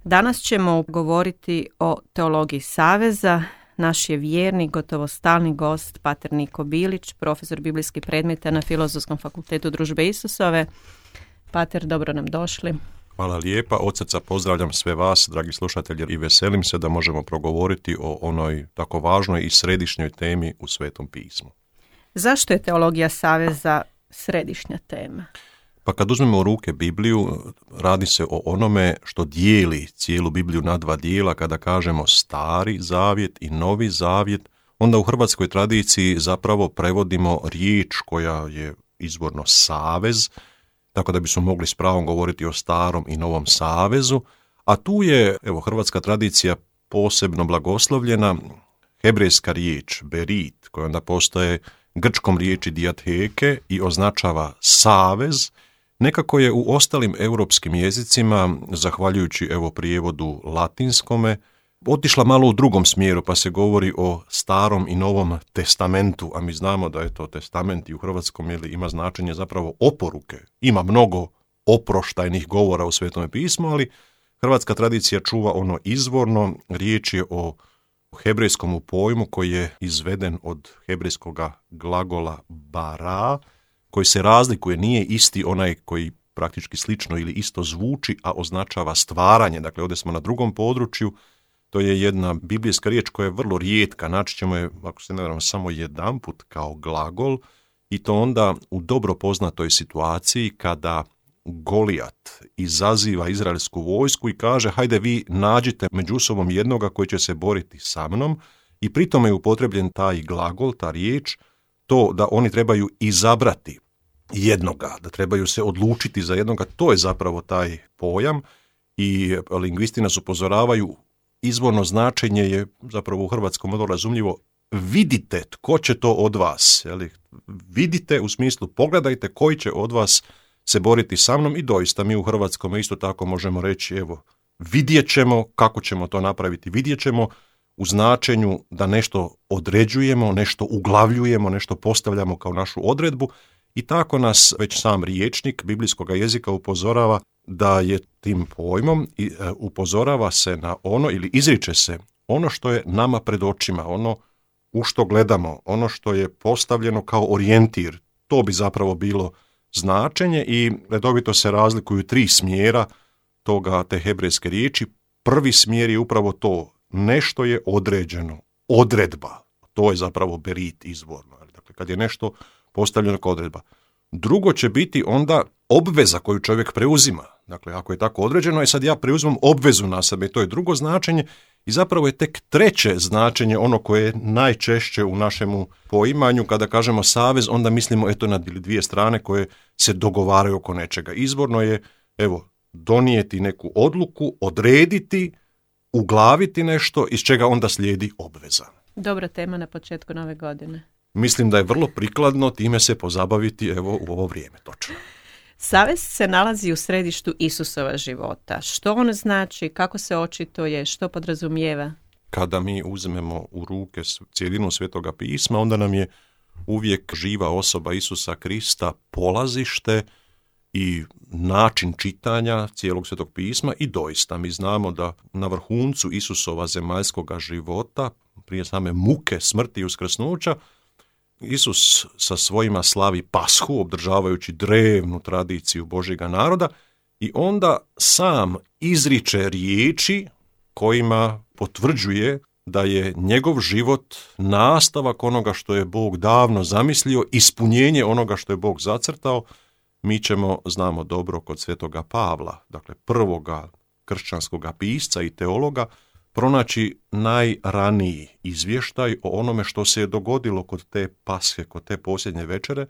Danas ćemo govoriti o teologiji saveza. Naš je vjernik, gotovo stalni gost, pater Niko Bilić, profesor biblijskih predmeta na Filozofskom fakultetu Družbe Isusove. Pater, dobro nam došli. Hvala lijepa, od srca pozdravljam sve vas, dragi slušatelji, i veselim se da možemo progovoriti o onoj tako važnoj i središnjoj temi u Svetom pismu. Zašto je teologija saveza središnja tema? Pa kad uzmemo u ruke Bibliju, radi se o onome što dijeli cijelu Bibliju na dva dijela. Kada kažemo Stari zavjet i Novi zavjet, onda u hrvatskoj tradiciji zapravo prevodimo riječ koja je izvorno savez, tako da bismo mogli s pravom govoriti o Starom i Novom savezu, a tu je, hrvatska tradicija posebno blagoslovljena, hebrejska riječ berit, koja onda postaje grčkom riječi diatheke i označava savez. Nekako je u ostalim europskim jezicima, zahvaljujući prijevodu latinskome, otišla malo u drugom smjeru, pa se govori o Starom i Novom testamentu, a mi znamo da je to testament i u hrvatskom ima značenje zapravo oporuke. Ima mnogo oproštajnih govora u Svetome pismu, ali hrvatska tradicija čuva ono izvorno. Riječ je o hebrejskom pojmu koji je izveden od hebrejskog glagola bara, koji se razlikuje, nije isti onaj koji praktički slično ili isto zvuči, a označava stvaranje. Dakle, ovdje smo na drugom području. To je jedna biblijska riječ koja je vrlo rijetka. Naći ćemo je, ako se ne varam, samo jedanput kao glagol, i to onda u dobro poznatoj situaciji kada Golijat izaziva izraelsku vojsku i kaže: hajde vi nađite među sobom jednoga koji će se boriti sa mnom, i pritom je upotrebljen taj glagol, ta riječ, to da oni trebaju izabrati jednoga, da trebaju se odlučiti za jednoga. To je zapravo taj pojam, i lingvisti nas upozoravaju, izvorno značenje je zapravo u hrvatskom vrlo razumljivo: vidite tko će to od vas. Vidite u smislu pogledajte koji će od vas se boriti sa mnom, i doista mi u hrvatskom isto tako možemo reći vidjet ćemo kako ćemo to napraviti. Vidjet ćemo u značenju da nešto određujemo, nešto uglavljujemo, nešto postavljamo kao našu odredbu, i tako nas već sam rječnik biblijskog jezika upozorava da je tim pojmom i upozorava se na ono, ili izriče se ono što je nama pred očima, ono u što gledamo, ono što je postavljeno kao orijentir. To bi zapravo bilo značenje, i redovito se razlikuju tri smjera te hebrejske riječi. Prvi smjer je upravo to: nešto je određeno, odredba. To je zapravo berit izvorno. Dakle, kad je nešto postavljeno kao odredba. Drugo će biti onda obveza koju čovjek preuzima. Dakle, ako je tako određeno, sad ja preuzimam obvezu na sebe, to je drugo značenje, i zapravo je tek treće značenje ono koje je najčešće u našemu poimanju. Kada kažemo savez, onda mislimo na dvije strane koje se dogovaraju oko nečega. Izvorno je donijeti neku odluku, odrediti, uglaviti nešto, iz čega onda slijedi obveza. Dobra tema na početku nove godine. Mislim da je vrlo prikladno time se pozabaviti u ovo vrijeme, točno. Savez se nalazi u središtu Isusova života. Što on znači, kako se očituje, što podrazumijeva? Kada mi uzmemo u ruke cijelinu Svetoga pisma, onda nam je uvijek živa osoba Isusa Krista polazište i način čitanja cijelog Svetog pisma, i doista mi znamo da na vrhuncu Isusova zemaljskoga života, prije same muke, smrti i uskrsnuća, Isus sa svojima slavi Pashu, obdržavajući drevnu tradiciju Božjega naroda, i onda sam izriče riječi kojima potvrđuje da je njegov život nastavak onoga što je Bog davno zamislio, ispunjenje onoga što je Bog zacrtao. Mi ćemo, znamo dobro, kod Svetoga Pavla, dakle prvoga kršćanskoga pisca i teologa, pronaći najraniji izvještaj o onome što se je dogodilo kod te Pashe, kod te posljednje večere,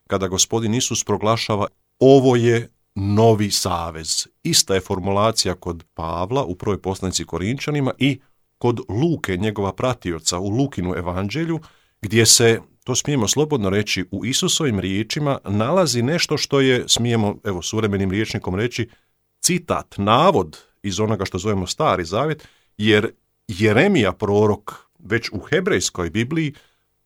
kada Gospodin Isus proglašava: ovo je novi savez. Ista je formulacija kod Pavla u prvoj poslanici Korinčanima i kod Luke, njegova pratioca, u Lukinu evanđelju, gdje se, to smijemo slobodno reći, u Isusovim riječima nalazi nešto što je, smijemo suvremenim rječnikom reći, citat, navod iz onoga što zovemo Stari zavjet, jer Jeremija prorok već u hebrejskoj Bibliji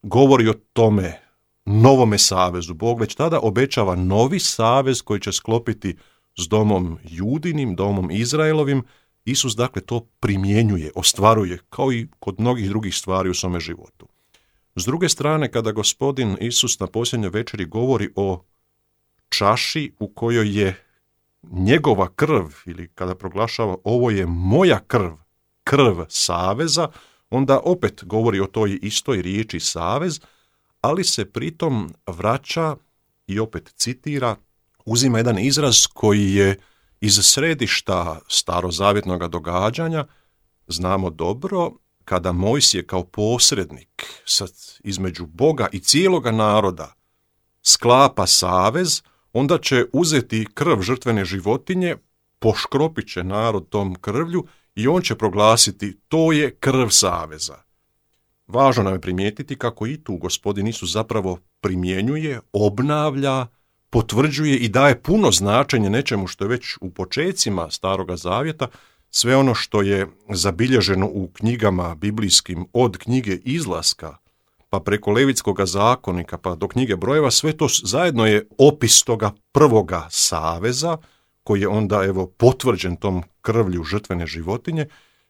govori o tome novome savezu. Bog već tada obećava novi savez koji će sklopiti s domom Judinim, domom Izraelovim, Isus dakle to primjenjuje, ostvaruje, kao i kod mnogih drugih stvari u svome životu. S druge strane, kada Gospodin Isus na posljednjoj večeri govori o čaši u kojoj je njegova krv, ili kada proglašava ovo je moja krv, krv saveza, onda opet govori o toj istoj riječi savez, ali se pritom vraća i opet citira, uzima jedan izraz koji je iz središta starozavjetnog događanja. Znamo dobro, kada Mojsije kao posrednik između Boga i cijeloga naroda sklapa savez, onda će uzeti krv žrtvene životinje, poškropit će narod tom krvlju i on će proglasiti to je krv saveza. Važno nam je primijetiti kako i tu Gospodin Isus zapravo primjenjuje, obnavlja, potvrđuje i daje puno značenje nečemu što je već u počecima Staroga Zavjeta, sve ono što je zabilježeno u knjigama biblijskim od knjige Izlaska, pa preko Levitskoga zakonika, pa do knjige Brojeva, sve to zajedno je opis toga prvoga saveza, koji je onda potvrđen tom krvlju žrtvene životinje.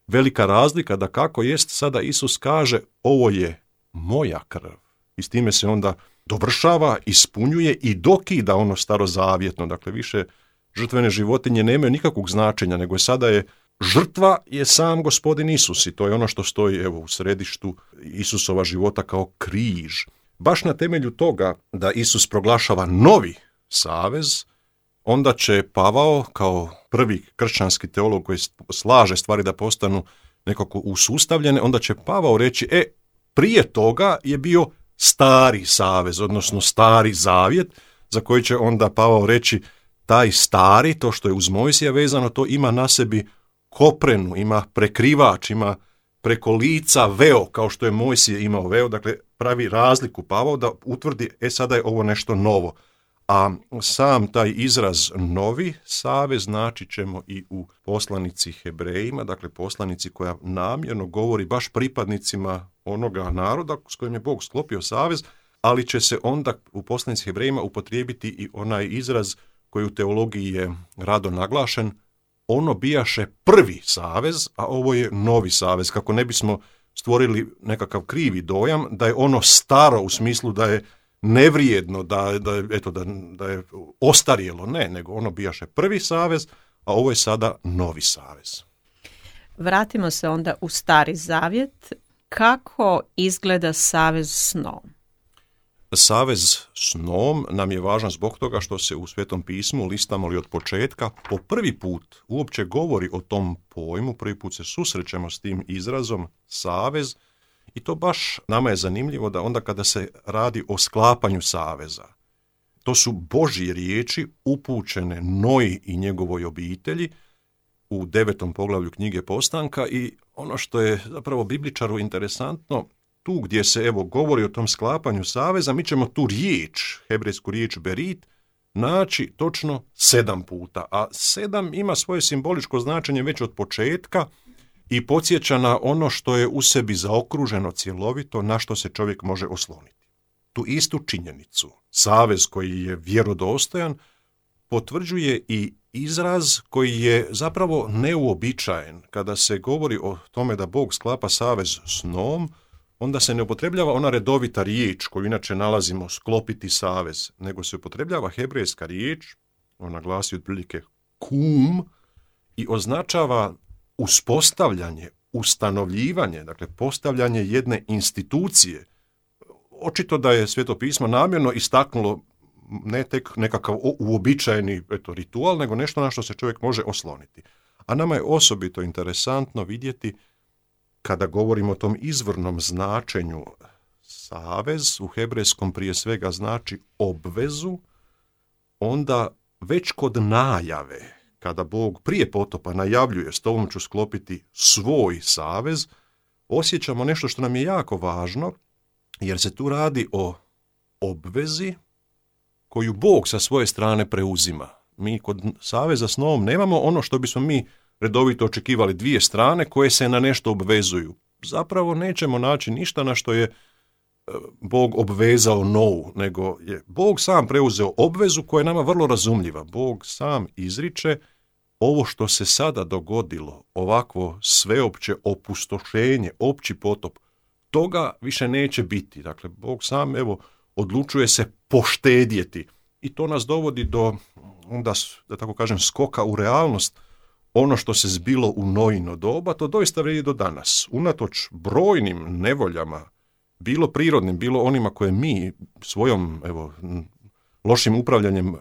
Velika razlika da kako jest sada Isus kaže ovo je moja krv. I s time se onda dovršava, ispunjuje i dokida ono starozavjetno. Dakle, više žrtvene životinje nemaju nikakvog značenja, nego sada je žrtva je sam Gospodin Isus i to je ono što stoji u središtu Isusova života kao križ. Baš na temelju toga da Isus proglašava novi savez, onda će Pavao kao prvi kršćanski teolog koji slaže stvari da postanu nekako usustavljene, onda će Pavao reći, prije toga je bio stari savez, odnosno stari zavjet, za koji će onda Pavao reći, taj stari, to što je uz Mojsija vezano, to ima na sebi koprenu, ima prekrivač, ima preko lica veo, kao što je Mojsije imao veo, dakle pravi razliku Pavao da utvrdi, sada je ovo nešto novo. A sam taj izraz novi savez znači ćemo i u poslanici Hebrejima, dakle poslanici koja namjerno govori baš pripadnicima onoga naroda s kojim je Bog sklopio savez, ali će se onda u poslanici Hebrejima upotrijebiti i onaj izraz koji u teologiji je rado naglašen, ono bijaše prvi savez, a ovo je novi savez, kako ne bismo stvorili nekakav krivi dojam da je ono staro u smislu da je nevrijedno, da je ostarjelo, ne, nego ono bijaše prvi savez, a ovo je sada novi savez. Vratimo se onda u Stari Zavjet. Kako izgleda savez s Noom? Savez s Noom nam je važan zbog toga što se u Svetom pismu, listamo li od početka, po prvi put uopće govori o tom pojmu, prvi put se susrećemo s tim izrazom savez, i to baš nama je zanimljivo da onda kada se radi o sklapanju saveza, to su Božje riječi upućene Noji i njegovoj obitelji u 9. poglavlju knjige Postanka, i ono što je zapravo bibličaru interesantno, tu gdje se govori o tom sklapanju saveza, mi ćemo tu riječ, hebrejsku riječ berit, naći točno 7 puta, a 7 ima svoje simboličko značenje već od početka i podsjeća na ono što je u sebi zaokruženo cjelovito, na što se čovjek može osloniti. Tu istu činjenicu, savez koji je vjerodostojan, potvrđuje i izraz koji je zapravo neuobičajen. Kada se govori o tome da Bog sklapa savez s Noom, onda se ne upotrebljava ona redovita riječ koju inače nalazimo sklopiti savez, nego se upotrebljava hebrejska riječ, ona glasi otprilike kum, i označava uspostavljanje, ustanovljivanje, dakle postavljanje jedne institucije. Očito da je Sveto pismo namjerno istaknulo ne tek nekakav uobičajeni ritual, nego nešto na što se čovjek može osloniti. A nama je osobito interesantno vidjeti, kada govorimo o tom izvornom značenju, savez u hebrejskom prije svega znači obvezu, onda već kod najave, kada Bog prije potopa najavljuje s tobom ću sklopiti svoj savez, osjećamo nešto što nam je jako važno, jer se tu radi o obvezi koju Bog sa svoje strane preuzima. Mi kod saveza s Noom nemamo ono što bismo mi redovito očekivali, dvije strane koje se na nešto obvezuju. Zapravo nećemo naći ništa na što je Bog obvezao Novu, nego je Bog sam preuzeo obvezu koja je nama vrlo razumljiva. Bog sam izriče ovo što se sada dogodilo, ovakvo sveopće opustošenje, opći potop, toga više neće biti. Dakle, Bog sam odlučuje se poštedjeti i to nas dovodi do, onda, da tako kažem, skoka u realnost. Ono što se zbilo u Noino doba, to doista vrijedi do danas. Unatoč brojnim nevoljama, bilo prirodnim, bilo onima koje mi svojom lošim upravljanjem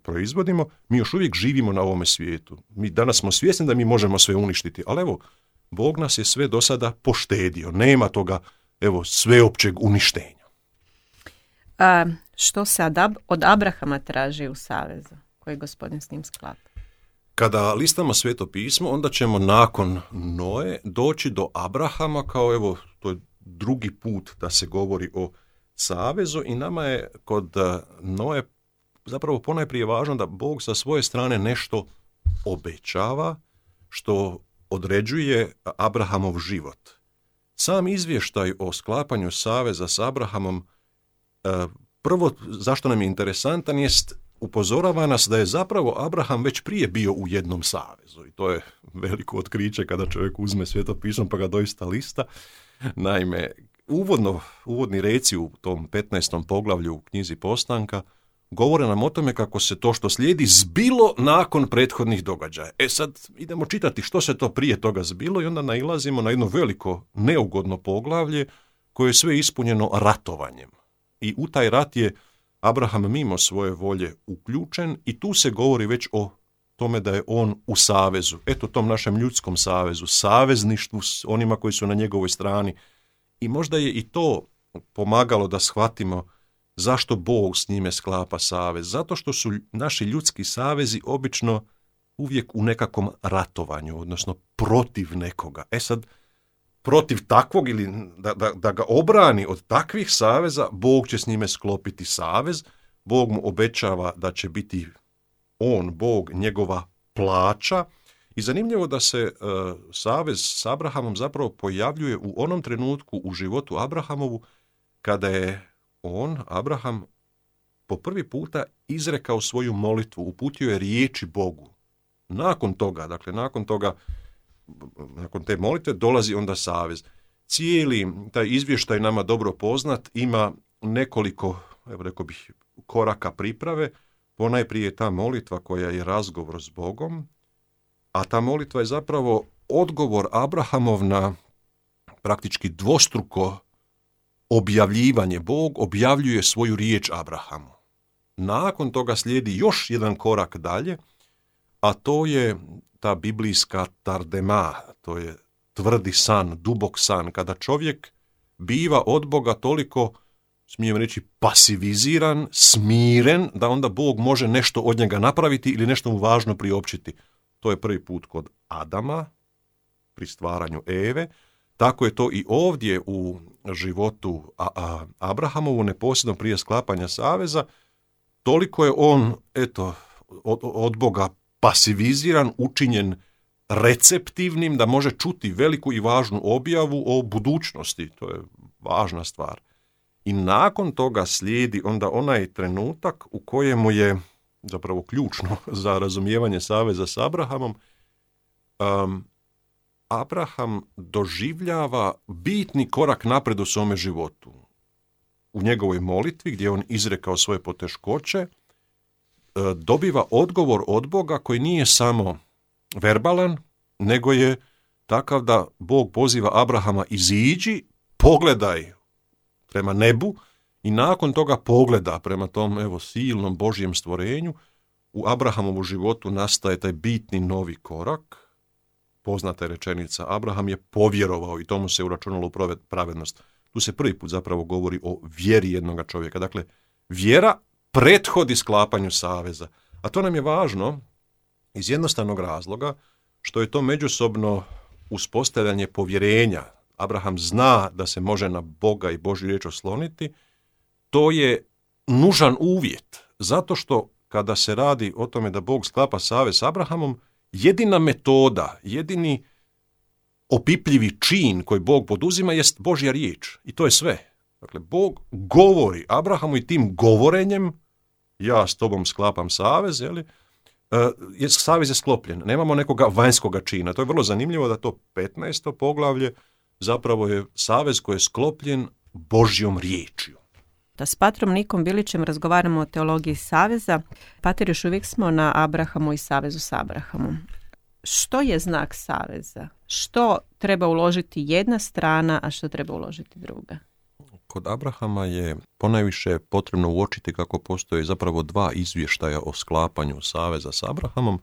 proizvodimo, mi još uvijek živimo na ovome svijetu. Mi danas smo svjesni da mi možemo sve uništiti, ali Bog nas je sve do sada poštedio. Nema toga sveopćeg uništenja. Što se od Abrahama traži u savezu koji Gospodin s njim sklapa? Kada listamo Sveto pismo, onda ćemo nakon Noe doći do Abrahama kao to je drugi put da se govori o savezu i nama je kod Noe zapravo ponajprije važno da Bog sa svoje strane nešto obećava što određuje Abrahamov život. Sam izvještaj o sklapanju saveza s Abrahamom, prvo zašto nam je interesantan, jest upozorava nas da je zapravo Abraham već prije bio u jednom savezu i to je veliko otkriće kada čovjek uzme Sveto pismo pa ga doista lista. Naime, uvodni reci u tom 15. poglavlju u knjizi Postanka govore nam o tome kako se to što slijedi zbilo nakon prethodnih događaja. Sad idemo čitati što se to prije toga zbilo i onda nailazimo na jedno veliko neugodno poglavlje koje je sve ispunjeno ratovanjem. I u taj rat je Abraham mimo svoje volje uključen i tu se govori već o tome da je on u savezu. Tom našem ljudskom savezu, savezništvu s onima koji su na njegovoj strani. I možda je i to pomagalo da shvatimo zašto Bog s njime sklapa savez. Zato što su naši ljudski savezi obično uvijek u nekakvom ratovanju, odnosno protiv nekoga. Sad, protiv takvog ili da ga obrani od takvih saveza, Bog će s njime sklopiti savez. Bog mu obećava da će biti on, Bog, njegova plaća. I zanimljivo da se savez s Abrahamom zapravo pojavljuje u onom trenutku u životu Abrahamovu kada je Abraham, po prvi puta izrekao svoju molitvu, uputio je riječi Bogu. Nakon te molitve dolazi onda savez. Cijeli taj izvještaj nama dobro poznat, ima nekoliko, rekao bih, koraka priprave. Ponajprije ta molitva koja je razgovor s Bogom, a ta molitva je zapravo odgovor Abrahamov na praktički dvostruko objavljivanje. Bog objavljuje svoju riječ Abrahamu. Nakon toga slijedi još jedan korak dalje, a to je ta biblijska tardema, to je tvrdi san, dubok san, kada čovjek biva od Boga toliko, smijem reći, pasiviziran, smiren, da onda Bog može nešto od njega napraviti ili nešto mu važno priopćiti. To je prvi put kod Adama, pri stvaranju Eve. Tako je to i ovdje u životu Abrahamovu, neposredno prije sklapanja saveza. Toliko je on, od Boga pasiviziran, učinjen receptivnim, da može čuti veliku i važnu objavu o budućnosti. To je važna stvar. I nakon toga slijedi onda onaj trenutak u kojemu je zapravo ključno za razumijevanje saveza s Abrahamom. Abraham doživljava bitni korak napred u svome životu. U njegovoj molitvi, gdje je on izrekao svoje poteškoće, dobiva odgovor od Boga koji nije samo verbalan, nego je takav da Bog poziva Abrahama: iziđi, pogledaj prema nebu, i nakon toga pogleda prema tom silnom Božjem stvorenju. U Abrahamovu životu nastaje taj bitni novi korak. Poznata je rečenica: Abraham je povjerovao i tomu se uračunalo u pravednost. Tu se prvi put zapravo govori o vjeri jednoga čovjeka. Dakle, vjera prethodi sklapanju saveza. A to nam je važno iz jednostavnog razloga što je to međusobno uspostavljanje povjerenja. Abraham zna da se može na Boga i Božju riječ osloniti. To je nužan uvjet, zato što kada se radi o tome da Bog sklapa savez s Abrahamom, jedina metoda, jedini opipljivi čin koji Bog poduzima jest Božja riječ. I to je sve. Dakle, Bog govori Abrahamu i tim govorenjem: ja s tobom sklapam savez, savez je sklopljen, nemamo nekoga vanjskoga čina. To je vrlo zanimljivo da to 15. poglavlje zapravo je savez koji je sklopljen Božjom riječju. Da s patrom Nikom Bilićem razgovaramo o teologiji saveza. Pater, još uvijek smo na Abrahamu i savezu s Abrahamom. Što je znak saveza? Što treba uložiti jedna strana, a što treba uložiti druga? Kod Abrahama je ponajviše potrebno uočiti kako postoje zapravo dva izvještaja o sklapanju saveza s Abrahamom,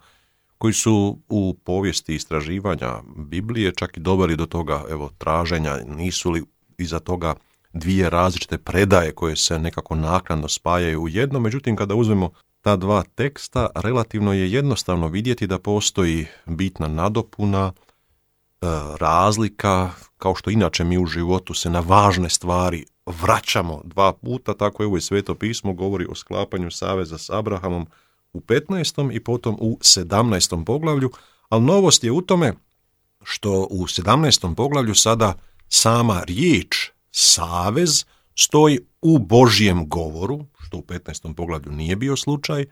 koji su u povijesti istraživanja Biblije čak i doveli do toga traženja, nisu li iza toga dvije različite predaje koje se nekako naknadno spajaju u jedno. Međutim, kada uzmemo ta dva teksta, relativno je jednostavno vidjeti da postoji bitna nadopuna, razlika, kao što inače mi u životu se na važne stvari vraćamo dva puta, tako je ovo i Sveto pismo govori o sklapanju saveza s Abrahamom u 15. i potom u 17. poglavlju, ali novost je u tome što u 17. poglavlju sada sama riječ savez stoji u Božjem govoru, što u 15. poglavlju nije bio slučaj,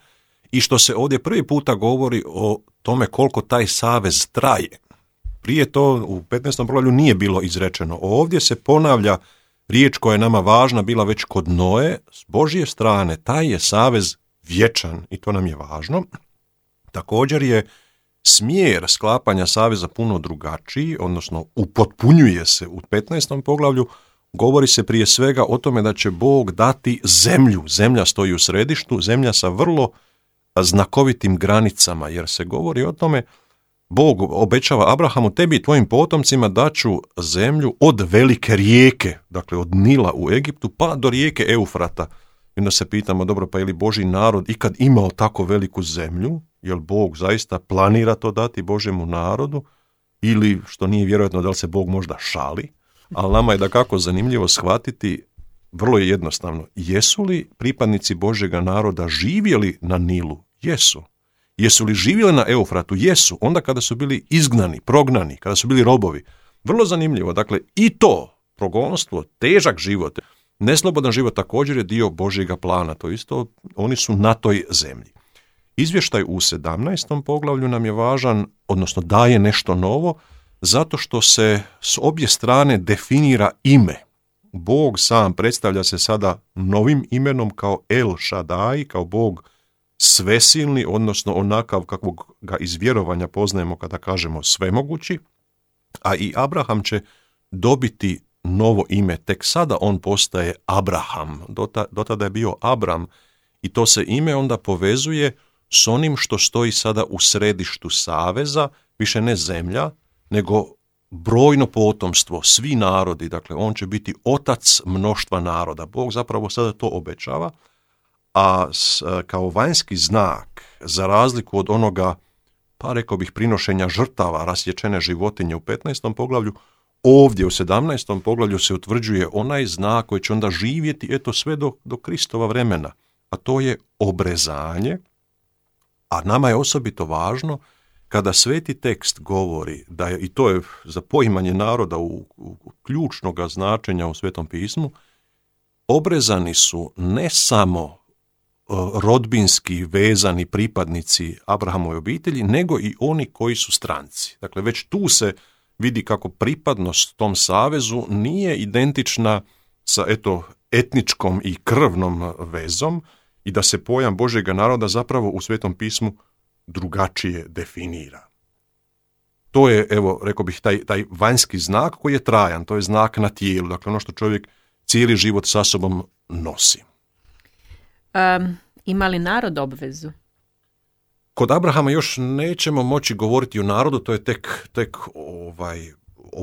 i što se ovdje prvi puta govori o tome koliko taj savez traje. Prije to u 15. poglavlju nije bilo izrečeno. Ovdje se ponavlja riječ koja je nama važna bila već kod Noe, s Božje strane taj je savez vječan i to nam je važno. Također je smjer sklapanja saveza puno drugačiji, odnosno upotpunjuje se u 15. poglavlju. Govori se prije svega o tome da će Bog dati zemlju. Zemlja stoji u središtu, zemlja sa vrlo znakovitim granicama, jer se govori o tome, Bog obećava Abrahamu, tebi i tvojim potomcima daću zemlju od velike rijeke, dakle od Nila u Egiptu pa do rijeke Eufrata. I onda se pitamo, dobro, pa je li Božji narod ikad imao tako veliku zemlju? Jel Bog zaista planira to dati Božjemu narodu? Ili, što nije vjerojatno, da li se Bog možda šali? Ali nama je dakako zanimljivo shvatiti, vrlo je jednostavno, jesu li pripadnici Božjega naroda živjeli na Nilu? Jesu. Jesu li živjeli na Eufratu? Jesu. Onda kada su bili izgnani, prognani, kada su bili robovi. Vrlo zanimljivo. Dakle, i to progonstvo, težak život, neslobodan život također je dio Božjega plana. To isto, oni su na toj zemlji. Izvještaj u 17. poglavlju nam je važan, odnosno daje nešto novo, zato što se s obje strane definira ime. Bog sam predstavlja se sada novim imenom kao El Shaddai, kao Bog svesilni, odnosno onakav kakvog ga iz vjerovanja poznajemo kada kažemo svemogući, a i Abraham će dobiti novo ime, tek sada on postaje Abraham, do tada je bio Abram i to se ime onda povezuje s onim što stoji sada u središtu saveza, više ne zemlja, nego brojno potomstvo, svi narodi, dakle on će biti otac mnoštva naroda. Bog zapravo sada to obećava, a kao vanjski znak, za razliku od onoga, pa rekao bih, prinošenja žrtava, rasječene životinje u 15. poglavlju, ovdje u 17. poglavlju se utvrđuje onaj znak koji će onda živjeti sve do Kristova vremena, a to je obrezanje, a nama je osobito važno kada sveti tekst govori da je, i to je za poimanje naroda u ključnoga značenja u Svetom pismu, obrezani su ne samo rodbinski vezani pripadnici Abrahamove obitelji, nego i oni koji su stranci. Dakle, već tu se vidi kako pripadnost tom savezu nije identična sa etničkom i krvnom vezom i da se pojam Božjega naroda zapravo u Svetom pismu drugačije definira. To je, rekao bih, taj vanjski znak koji je trajan, to je znak na tijelu, dakle ono što čovjek cijeli život sa sobom nosi. Ima li narod obvezu? Kod Abrahama još nećemo moći govoriti o narodu, to je tek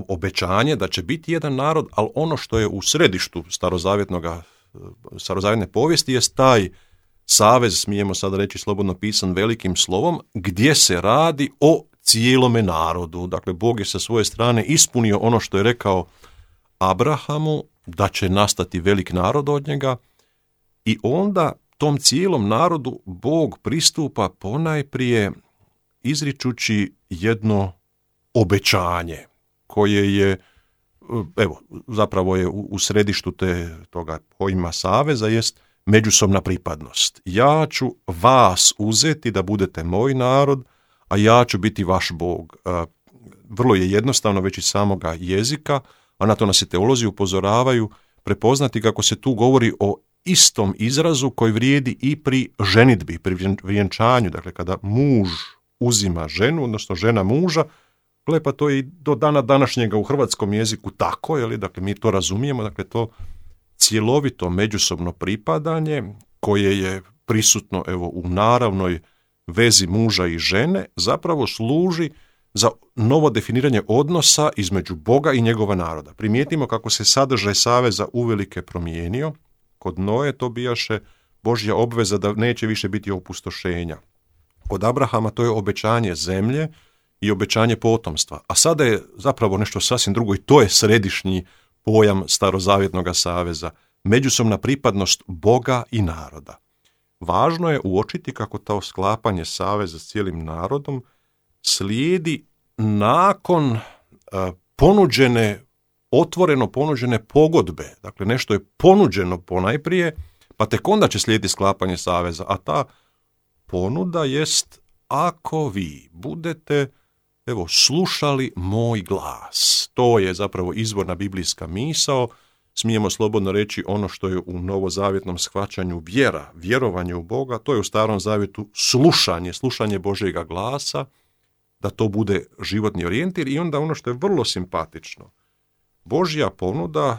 obećanje da će biti jedan narod, ali ono što je u središtu starozavjetne povijesti jest taj savez, smijemo sada reći slobodno pisan velikim slovom, gdje se radi o cijelome narodu. Dakle, Bog je sa svoje strane ispunio ono što je rekao Abrahamu, da će nastati velik narod od njega, i onda tom cijelom narodu Bog pristupa ponajprije izričući jedno obećanje koje je, zapravo je u središtu toga pojma saveza, jest međusobna pripadnost. Ja ću vas uzeti da budete moj narod, a ja ću biti vaš Bog. Vrlo je jednostavno već iz samoga jezika, a na to nas i teolozi upozoravaju, prepoznati kako se tu govori o istom izrazu koji vrijedi i pri ženidbi, pri vjenčanju. Dakle, kada muž uzima ženu, odnosno žena muža, pa to je i do dana današnjega u hrvatskom jeziku tako, je li? Dakle, mi to razumijemo, dakle, to cjelovito međusobno pripadanje koje je prisutno evo u naravnoj vezi muža i žene zapravo služi za novo definiranje odnosa između Boga i njegova naroda. Primijetimo kako se sadržaj saveza uvelike promijenio. Kod Noe to bijaše Božja obveza da neće više biti opustošenja. Kod Abrahama to je obećanje zemlje i obećanje potomstva. A sada je zapravo nešto sasvim drugo i to je središnji pojam starozavjetnog saveza. Međusobna pripadnost Boga i naroda. Važno je uočiti kako to sklapanje saveza s cijelim narodom slijedi nakon otvoreno ponuđene pogodbe. Dakle, nešto je ponuđeno ponajprije, pa tek onda će slijediti sklapanje saveza. A ta ponuda jest: ako vi budete slušali moj glas. To je zapravo izvorna biblijska misao. Smijemo slobodno reći ono što je u novozavjetnom shvaćanju vjera, vjerovanje u Boga, to je u starom zavjetu slušanje Božjega glasa, da to bude životni orijentir. I onda ono što je vrlo simpatično, Božja ponuda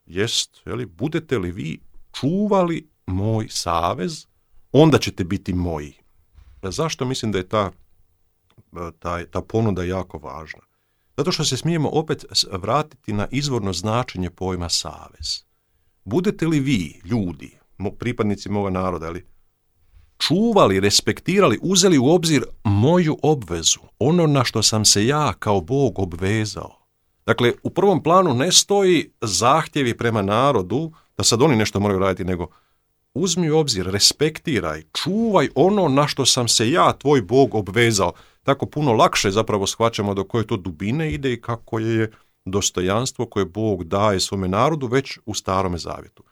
jest, budete li vi čuvali moj savez, onda ćete biti moji. Zašto mislim da je ta ponuda jako važna? Zato što se smijemo opet vratiti na izvorno značenje pojma savez. Budete li vi, ljudi, pripadnici moga naroda, čuvali, respektirali, uzeli u obzir moju obvezu, ono na što sam se ja kao Bog obvezao. Dakle, u prvom planu ne stoji zahtjevi prema narodu da sad oni nešto moraju raditi, nego uzmi u obzir, respektiraj, čuvaj ono na što sam se ja, tvoj Bog, obvezao. Tako puno lakše zapravo shvaćamo do koje to dubine ide i kako je dostojanstvo koje Bog daje svome narodu već u Starome zavjetu.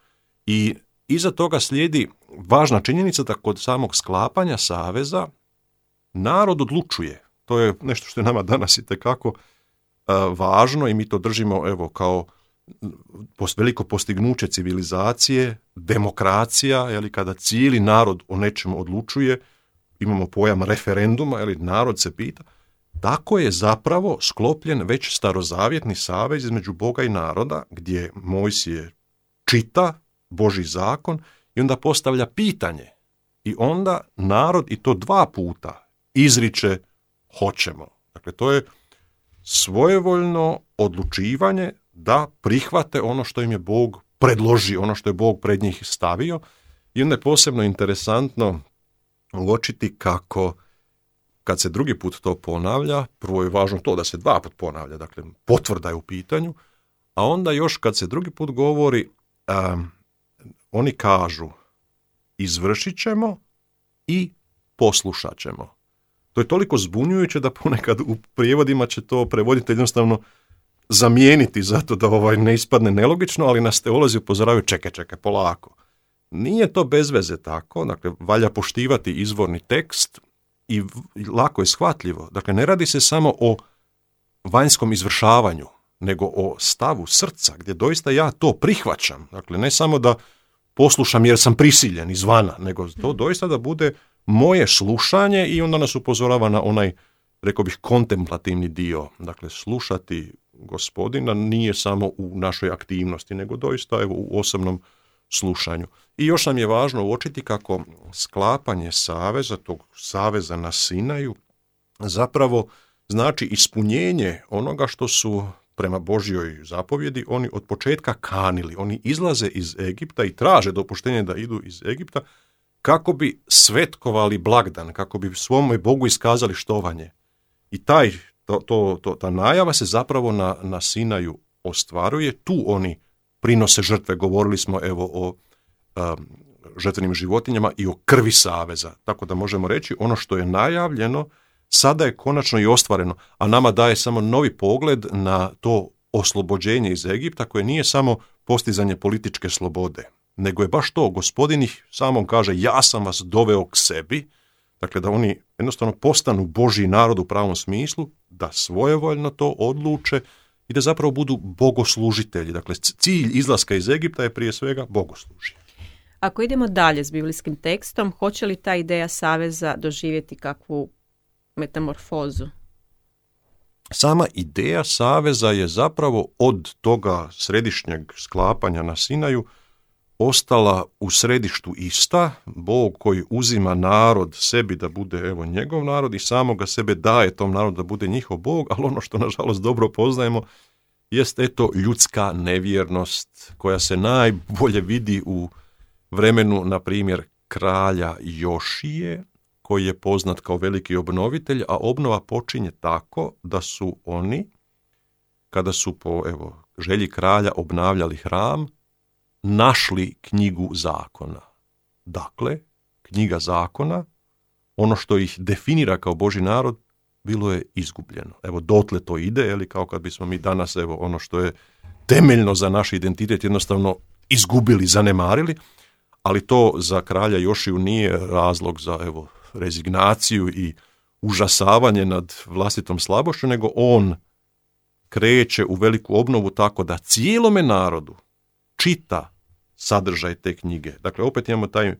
I iza toga slijedi važna činjenica da kod samog sklapanja saveza narod odlučuje. To je nešto što je nama danas itekako važno i mi to držimo kao veliko postignuće civilizacije, demokracija, kada cijeli narod o nečemu odlučuje, imamo pojam referenduma, narod se pita. Tako je zapravo sklopljen već starozavjetni savez između Boga i naroda, gdje Mojsije čita Božji zakon i onda postavlja pitanje. I onda narod, i to 2 puta, izriče hoćemo. Dakle, to je svojevoljno odlučivanje da prihvate ono što im je Bog predložio, ono što je Bog pred njih stavio. I onda je posebno interesantno uočiti kako kad se drugi put to ponavlja, prvo je važno to da se 2 put ponavlja, dakle potvrda je u pitanju, a onda još kad se drugi put govori, oni kažu izvršit ćemo i poslušat ćemo. To je toliko zbunjujuće da ponekad u prijevodima će to prevoditelj jednostavno zamijeniti zato da ne ispadne nelogično, ali nas teolozi upozoravaju čekaj, polako. Nije to bez veze tako, dakle, valja poštivati izvorni tekst i lako je shvatljivo. Dakle, ne radi se samo o vanjskom izvršavanju, nego o stavu srca, gdje doista ja to prihvaćam. Dakle, ne samo da poslušam jer sam prisiljen izvana, nego to doista da bude moje slušanje i onda nas upozorava na onaj, rekao bih, kontemplativni dio. Dakle, slušati Gospodina nije samo u našoj aktivnosti, nego doista u osobnom slušanju. I još nam je važno uočiti kako sklapanje saveza, tog saveza na Sinaju, zapravo znači ispunjenje onoga što su prema Božjoj zapovjedi oni od početka kanili. Oni izlaze iz Egipta i traže dopuštenje da idu iz Egipta kako bi svetkovali blagdan, kako bi svome Bogu iskazali štovanje. I ta najava se zapravo na Sinaju ostvaruje. Tu oni prinose žrtve. Govorili smo o žrtvenim životinjama i o krvi saveza. Tako da možemo reći ono što je najavljeno sada je konačno i ostvareno, a nama daje samo novi pogled na to oslobođenje iz Egipta koje nije samo postizanje političke slobode, nego je baš to, Gospodin ih samom kaže, ja sam vas doveo k sebi, dakle da oni jednostavno postanu Božji narod u pravom smislu, da svojevoljno to odluče i da zapravo budu bogoslužitelji. Dakle, cilj izlaska iz Egipta je prije svega bogoslužje. Ako idemo dalje s biblijskim tekstom, hoće li ta ideja saveza doživjeti kakvu metamorfozu? Sama ideja saveza je zapravo od toga središnjeg sklapanja na Sinaju ostala u središtu ista, Bog koji uzima narod sebi da bude evo njegov narod i samoga sebe daje tom narodu da bude njihov Bog, ali ono što nažalost dobro poznajemo jest eto ljudska nevjernost koja se najbolje vidi u vremenu, na primjer, kralja Jošije, koji je poznat kao veliki obnovitelj, a obnova počinje tako da su oni, kada su po želji kralja obnavljali hram, našli knjigu zakona. Dakle, knjiga zakona, ono što ih definira kao Božji narod, bilo je izgubljeno. Evo, dotle to ide, kao kad bismo mi danas, ono što je temeljno za naš identitet, jednostavno izgubili, zanemarili, ali to za kralja Jošiju nije razlog za, rezignaciju i užasavanje nad vlastitom slabošću, nego on kreće u veliku obnovu tako da cijelome narodu čita sadržaj te knjige. Dakle, opet imamo taj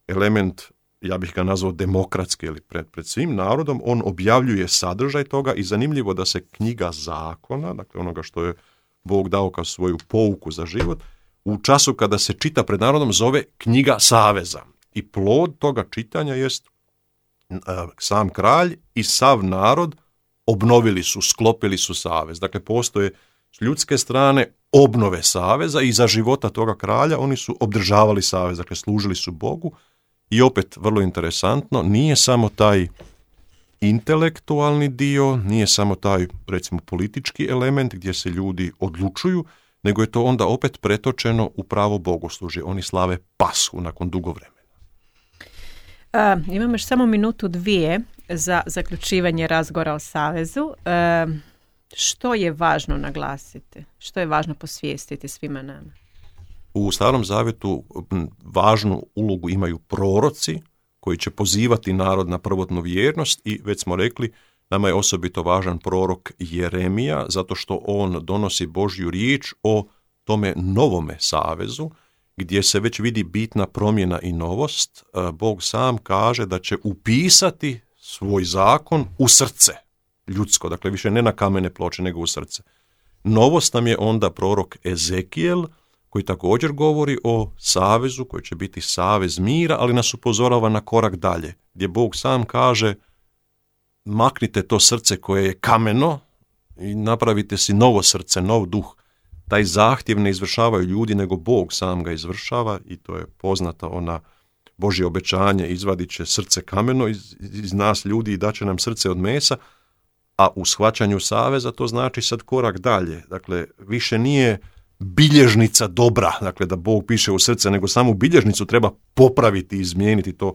element, ja bih ga nazvao demokratski, ili pred svim narodom, on objavljuje sadržaj toga i zanimljivo da se knjiga zakona, dakle onoga što je Bog dao kao svoju pouku za život, u času kada se čita pred narodom zove knjiga saveza. I plod toga čitanja jest sam kralj i sav narod obnovili su, sklopili su savez. Dakle, postoje s ljudske strane obnove saveza i za života toga kralja oni su obdržavali savez, dakle služili su Bogu. I opet, vrlo interesantno, nije samo taj intelektualni dio, nije samo taj, recimo, politički element gdje se ljudi odlučuju, nego je to onda opet pretočeno u pravo bogoslužje. Oni slave Pashu nakon dugo vremena. Imamo još samo minutu, dvije za zaključivanje razgovora o savezu. Što je važno naglasiti? Što je važno posvijestiti svima nama? U Starom Zavjetu važnu ulogu imaju proroci koji će pozivati narod na prvotnu vjernost i već smo rekli, nama je osobito važan prorok Jeremija zato što on donosi Božju riječ o tome novome savezu gdje se već vidi bitna promjena i novost. Bog sam kaže da će upisati svoj zakon u srce ljudsko, dakle više ne na kamene ploče nego u srce. Novost nam je onda prorok Ezekijel koji također govori o savezu koji će biti savez mira, ali nas upozorava na korak dalje, gdje Bog sam kaže maknite to srce koje je kameno i napravite si novo srce, nov duh. Taj zahtjev ne izvršavaju ljudi, nego Bog sam ga izvršava i to je poznata ona Božje obećanje, izvadit će srce kameno iz nas ljudi i daće nam srce od mesa, a u shvaćanju saveza to znači sad korak dalje. Dakle, više nije bilježnica dobra, dakle da Bog piše u srce, nego samu bilježnicu treba popraviti i izmijeniti. To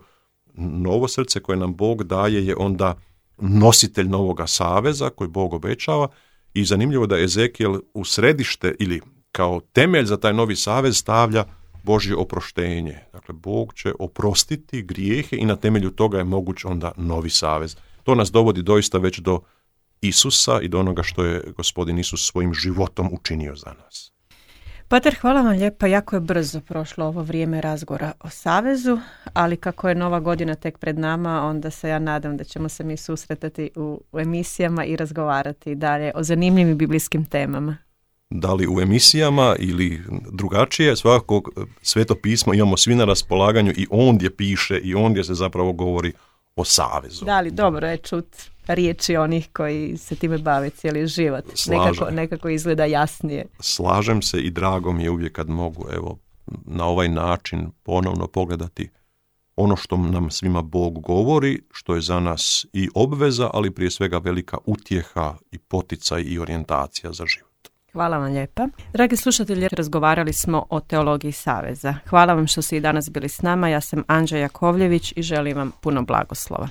novo srce koje nam Bog daje je onda nositelj novoga saveza koji Bog obećava i zanimljivo da Ezekijel u središte ili kao temelj za taj novi savez stavlja Božje oproštenje. Dakle, Bog će oprostiti grijehe i na temelju toga je moguć onda novi savez. To nas dovodi doista već do Isusa i do onoga što je Gospodin Isus svojim životom učinio za nas. Pater, hvala vam lijepa, jako je brzo prošlo ovo vrijeme razgovora o savezu, ali kako je nova godina tek pred nama, onda se ja nadam da ćemo se mi susretati u emisijama i razgovarati dalje o zanimljivim biblijskim temama. Da li u emisijama ili drugačije, svakako Sveto pismo imamo svi na raspolaganju i ondje piše i ondje se zapravo govori o savezu. Da li dobro je čut riječi onih koji se time bave cijeli život. Nekako izgleda jasnije. Slažem se i drago mi je uvijek kad mogu na ovaj način ponovno pogledati ono što nam svima Bog govori, što je za nas i obveza, ali prije svega velika utjeha i poticaj i orijentacija za život. Hvala vam lijepa. Dragi slušatelji, razgovarali smo o teologiji saveza. Hvala vam što ste i danas bili s nama. Ja sam Anđa Jakovljević i želim vam puno blagoslova.